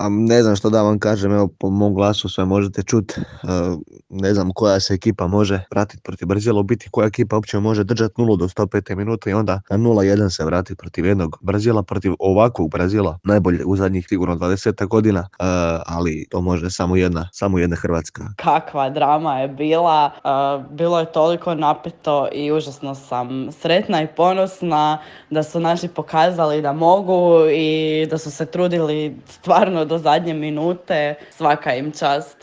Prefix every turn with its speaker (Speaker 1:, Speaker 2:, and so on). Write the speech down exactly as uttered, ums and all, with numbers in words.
Speaker 1: A ne znam što da vam kažem, evo po mom glasu sve možete čuti. Ne znam koja se ekipa može vratiti protiv Brazila, u biti koja ekipa uopće može držati nulu do sto pete minute i onda na nula jedan se vratiti protiv jednog Brazila, protiv ovakvog Brazila, najbolje u zadnjih sigurno dvadeset godina, ali to može samo jedna, samo jedna Hrvatska.
Speaker 2: Kakva drama je bila, bilo je toliko napeto i užasno sam sretna i ponosna da su naši pokazali da mogu i da su se trudili stvarno do zadnje minute, svaka im čast.